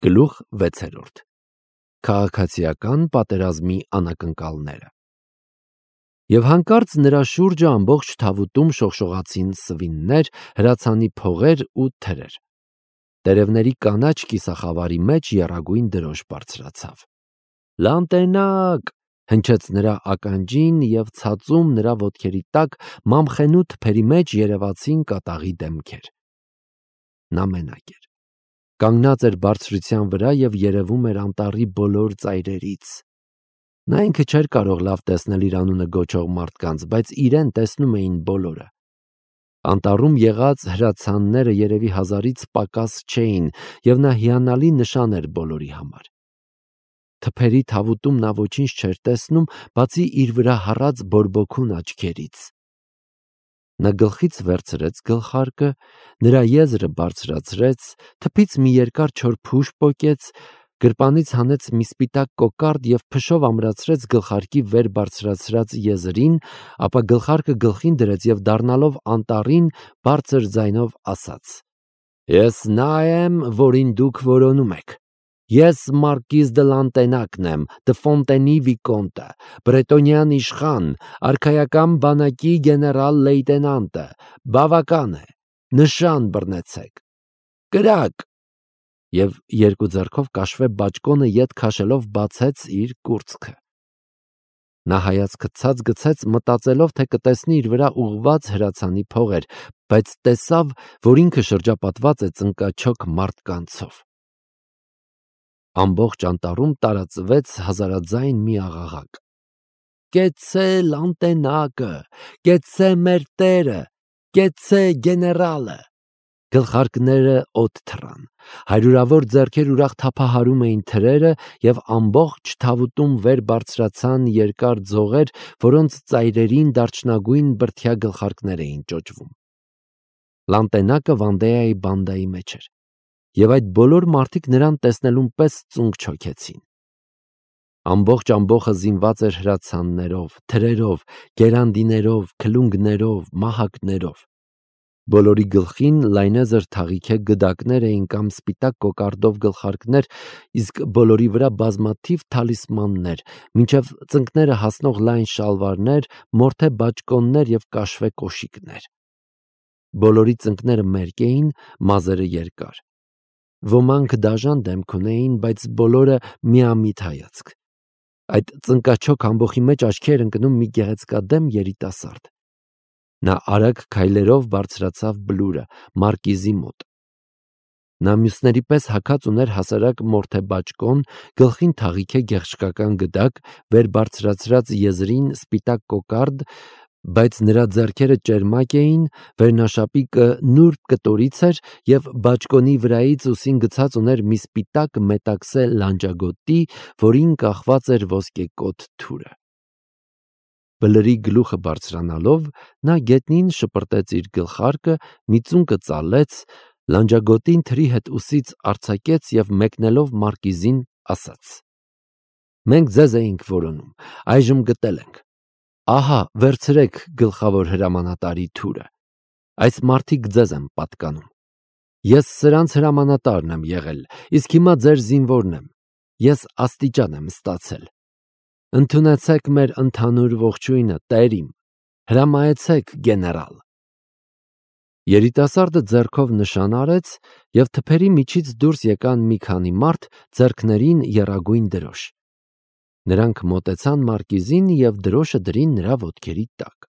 Գլուխ 6. Քաղաքացիական պատերազմի անակնկալները։ Եվ հանկարծ նրա շուրջը ամբողջ թավուտում շողշողացին սվիններ, հրացանի փողեր ու թրեր։ Տերևների կանաչ կիսախավարի մեջ եռագույն դրոշ բարձրացավ։ Լանտենակ, հնչեց նրա ականջին և ցածում նրա ոտքերի տակ մամխենու թփերի մեջ երևացին կատաղի դեմքեր։ Նա մենակ էր։ Կանգնած էր բարձրության վրա և երևում էր անտառի բոլոր ծայրերից։ Նա ինքը չէր կարող լավ տեսնել իր անունը գոչող մարդկանց, բայց իրեն տեսնում էին բոլորը։ Անտառում եղած հրացանները երևի 1000-ից պակաս չէին, և նա հիանալի նշան էր բոլորի համար։ Թփերի թավուտում նա ոչինչ չէր տեսնում, բացի իր վրա հառած բորբոքուն աչքերից։ Նա գլխից վերցրեց գլխարկը, նրա եզրը բարձրացրեց, թփից մի երկար չոր փուշ պոկեց, գրպանից հանեց մի սպիտակ կոկարդ և փշով ամրացրեց գլխարկի վեր բարձրացրած եզրին, ապա գլխարկը գլխին դրեց և դառնալով անտառին բարձր ձայնով ասաց. «Ես նա եմ, որին դուք որոնում եք։ Ես Մարկիզ դը Լանտենակն եմ, դը Ֆոնտենի վիկոնտը, բրետոնյան իշխան, արքայական բանակի գեներալ լեյտենանտը, բավական է, նշան բռնեցեք, կրակ», և երկու ձեռքով կաշվե բաճկոնը ետ քաշելով բացեց իր կուրծքը։ Նա հայացքը ցած գցեց, մտածելով, թե կտեսնի իր վրա ուղղված հրացանի փողեր, բայց տեսավ, որ ինքը շրջապատված է ծնկաչոք մարդկանցով։ Ամբողջ անտառում տարածվեց հազարաձայն մի աղաղակ. «Կեցցե Լանտենակը, կեցցե մեր տերը, կեցցե գեներալը»։ Գլխարկները օդ թռան, հարյուրավոր ձեռքեր ուրախ թափահարում էին թրերը, և ամբողջ թավուտում վեր բարձրացան երկար ձողեր, որոնց ծայրերին դարչնագույն բրդյա գլխարկներ էին ճոճվում։ Լանտենակը Վանդեայի բանդայի մեջ էր, և այդ բոլոր մարդիկ նրան տեսնելուն պես ծունկ չոքեցին։ Ամբողջ ամբոխը զինված էր հրացաններով, թրերով, գերանդիներով, քլունգներով, մահակներով։ Բոլորի գլխին լայնեզր թաղիքե գդակներ էին կամ սպիտակ կոկարդով գլխարկներ, իսկ բոլորի վրա բազմաթիվ թալիսմաններ, մինչև ծնկները հասնող լայն շալվարներ, մորթե բաճկոններ և կաշվե կոշիկներ։ Բոլորի ծնկները մերկ էին, մազերը երկար։ Ոմանք դաժան դեմք ունեին, բայց բոլորը միամիտ հայացք։ Այդ ծնկաչոք ամբոխի մեջ աչքի էր ընկնում մի գեղեցկադեմ երիտասարդ։ Նա արագ քայլերով բարձրացավ բլուրը, Մարկիզի մոտ։ Նա մյուսների պես հագած ուներ հասարակ մորթե բաճկոն, գլխին թաղիքե գեղչկական գդակ, վեր բարձրացրած եզրին սպիտակ կոկարդ, բայց նրա ձեռքերը ճերմակ էին, վերնաշապիկը նուրբ կտորից էր, և բաճկոնի վրայից ուսին գցած ուներ մի սպիտակ մետաքսե լանջագոտի, որին կախված էր ոսկեկոթ թուրը։ Բլրի գլուխը բարձրանալով, նա գետնին շպրտեց իր գլխարկը, մի ծունկը ծալեց, լանջագոտին թրի հետ ուսից արձակեց և մեկնելով Մարկիզին ասաց. «Մենք ձեզ էինք որոնում, այժմ գտել ենք։ Ահա, վերցրեք գլխավոր հրամանատարի թուրը։ Այս մարդիկ ձեզ են պատկանում։ Ես սրանց հրամանատարն եմ եղել, իսկ հիմա ձեր զինվորն եմ։ Ես աստիճան եմ ստացել։ Ընդունեցեք մեր ընդհանուր ողջույնը, տեր իմ, հրամայեցեք գեներալ»։ Երիտասարդը ձեռքով նշան արեց, և թփերի միջից դուրս եկան մի քանի մարդ, ձեռքներին եռագույն դրոշ։ Նրանք մոտեցան Մարկիզին և դրոշը դրին նրա ոտքերի տակ։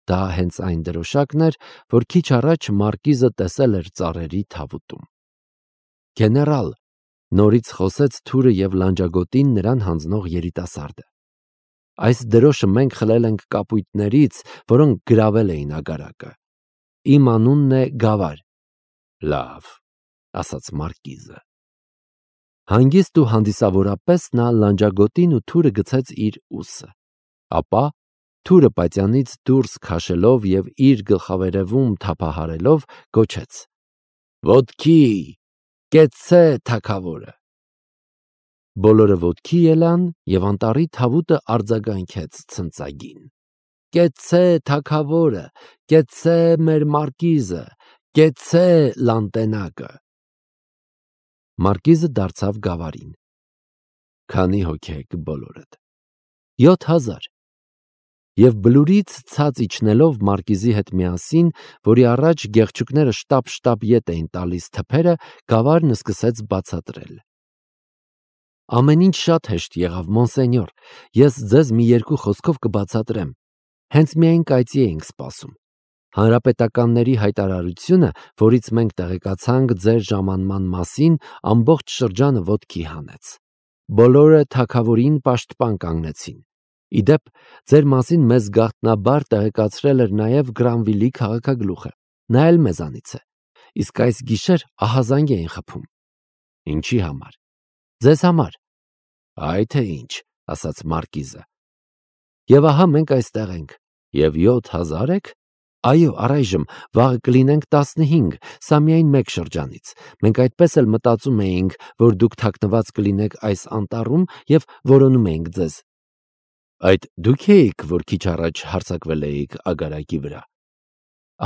Դա հենց այն դրոշակն էր, որ քիչ առաջ Մարկիզը տեսել էր ծառերի թավուտում։ «Գեներալ», նորից խոսեց թուրը և լանջագոտին նրան հանձնող երիտասարդը, «այս դրոշը մենք խլել ենք կապույտներից, որոնք գրավել էին ագարակը։ Իմ անունն է Գավար»։ «Լավ», ասաց Մարկիզը։ Հանգիստ ու հանդիսավորապես նա լանջագոտին ու թուրը գցեց իր ուսը։ Ապա թուրը պատյանից դուրս քաշելով և իր գլխավերևում թափահարելով գոչեց. «Ոտքի, կեցցե թագավորը»։ Բոլորը ոտքի ելան, և անտառի թավուտը արձագանքեց ցնծագին. «Կեցցե թագավորը, կեցցե մեր Մարկիզը, կեցցե Լանտենակը»։ Մարկիզը դարձավ գավառին։ Քանի հոգի եք բոլորդ։ 7000։ Եվ բլուրից ցած իջնելով Մարկիզի հետ միասին, որի առաջ գեղչուկները շտապ-շտապ ետ էին տալիս թփերը, գավառն սկսեց բացատրել։ Ամեն ինչ շատ հեշտ եղավ, մոնսենյոր, ես ձեզ մի երկու խոսքով կբացատրեմ։ Հենց միայն կայծի էինք սպասում։ Հանրապետականների հայտարարությունը, որից մենք տեղեկացանք ձեր ժամանման մասին, ամբողջ շրջանը ոտքի հանեց։ Բոլորը թագավորին պաշտպան կանգնեցին։ Իդեպ, ձեր մասին մեզ գաղտնաբար տեղեկացրել էր նաև Գրանվիլի քաղաքագլուխը, նա էլ մեզանից է, իսկ այս գիշեր ահազանգ էին խփում։ Ինչի համար։ Ձեզ համար։ Այ թե ինչ, ասաց Մարկիզը։ Եվ ահա մենք այստեղ ենք, և 7000 եք։ Այո, առայժմ վաղը կլինենք 15, սա միայն մեկ շրջանից։ Մենք այդպես էլ մտածում էինք, որ դուք թաքնված կլինեք այս անտառում և որոնում էինք ձեզ։ Այդ դուք էիք, որ քիչ առաջ հարձակվել էիք ագարակի վրա։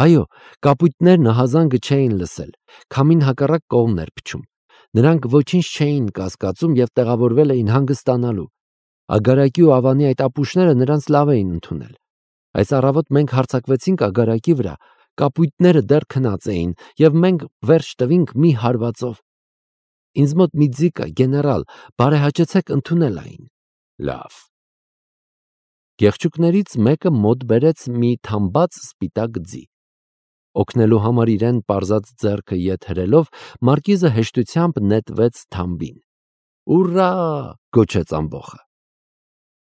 Այո, կապույտներն ահազանգը չէին լսել, քամին հակառակ կողմն էր փչում։ Նրանք ոչինչ չէին կասկածում և տեղավորվել էին հանգստանալու։ Ագարակի ու ավանի այդ ապուշները նրանց լավ էին ընդունել։ Այս առավոտ մենք հարձակվեցինք ագարակի վրա, կապույտները դեռ քնած էին, և մենք վերջ տվինք մի հարվածով։ Ինձ մոտ մի ձի կա, գեներալ, բարեհաճեցեք ընդունել այն։ Լավ։ Գեղչուկներից մեկը մոտ բերեց մի թամբած սպիտակ ձի։ Օգնելու համար իրեն պարզած ձեռքը ետ հրելով, Մարկիզը հեշտությամբ նետվեց թամբին։ Ուռա! Գոչեց ամբոխը։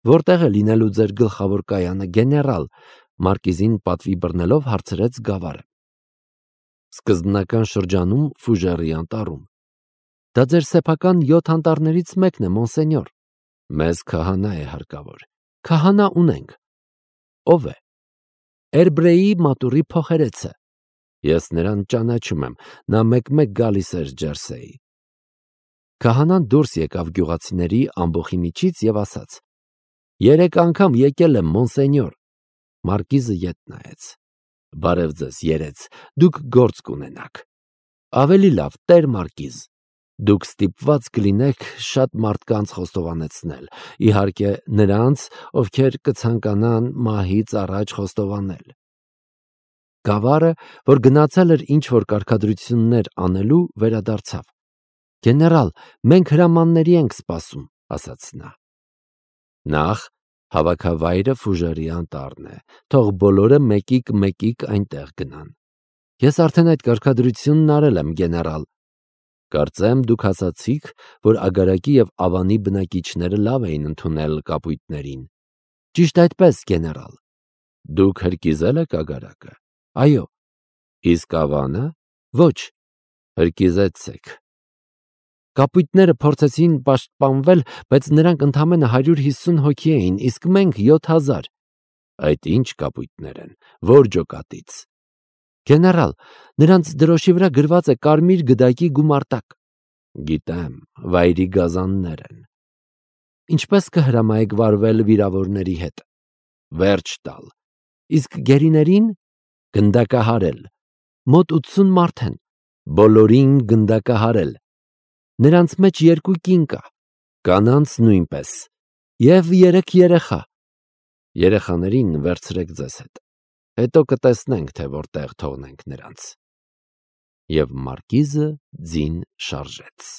Որտեղ է լինելու ձեր գլխավոր կայանը, գեներալ, Մարկիզին պատվի բռնելով հարցրեց գավառը։ Սկզբնական շրջանում Ֆուժերի անտառում։ Դա ձեր սեփական 7 անտառներից մեկն է, մոնսենյոր։ Մեզ քահանա է հարկավոր։ Քահանա ունենք։ Ով է։ Էրբրեի մատուրի փոխերեցը։ Ես նրան ճանաչում եմ, նա մեկ-մեկ գալիս էր Ջերսեի։ Քահանան դուրս եկավ գյուղացիների ամբոխի միջից և ասաց. 3 անգամ եկել եմ, մոնսենյոր։ Մարկիզը ետ նայեց։ Բարև ձեզ, երեց, դուք գործ կունենաք։ Ավելի լավ, տեր Մարկիզ։ Դուք ստիպված կլինեք շատ մարդկանց խոստովանեցնել, իհարկե նրանց, ովքեր կցանկանան մահից առաջ խոստովանել։ Գավառը, որ գնացել էր ինչ-որ կարգադրություններ անելու, վերադարձավ։ Գեներալ, մենք հրամանների ենք սպասում, ասաց նա։ Նախ հավաքավայրը Ֆուժերի անտառն է, թող բոլորը մեկիկ այնտեղ գնան։ Ես արդեն այդ կարգադրությունն արել եմ, գեներալ։ Կարծեմ դուք ասացիք, որ ագարակի և ավանի բնակիչները լավ էին ընդունել կապույտներին։ Ճիշտ այդպես, գեներալ։ Դուք հրկիզել եք ագարակը։ Այո։ Իսկ ավանը։ Ոչ։ Հրկիզեցեք։ Կապույտները փորձեցին պաշտպանվել, բայց նրանք ընդամենը 150 հոգի էին, իսկ մենք 7000։ Այդ ինչ կապույտներ են, որ ջոկատից։ Գեներալ, նրանց դրոշի վրա գրված է կարմիր գդակի գումարտակ։ Գիտեմ, վայրի գազաններ են։ Ինչպես կհրամայեք վարվել վիրավորների հետ։ Վերջ տալ։ Իսկ գերիներին գնդակահարել։ Մոտ 80 մարդ են։ Բոլորին գնդակահարել։ Նրանց մեջ 2 կին կա, կանանց նույնպես, և 3 երեխա։ Երեխաներին վերցրեք ձեզ հետ։ Հետո կտեսնենք, թե որտեղ թողնենք նրանց։ Եվ Մարկիզը ձին շարժեց։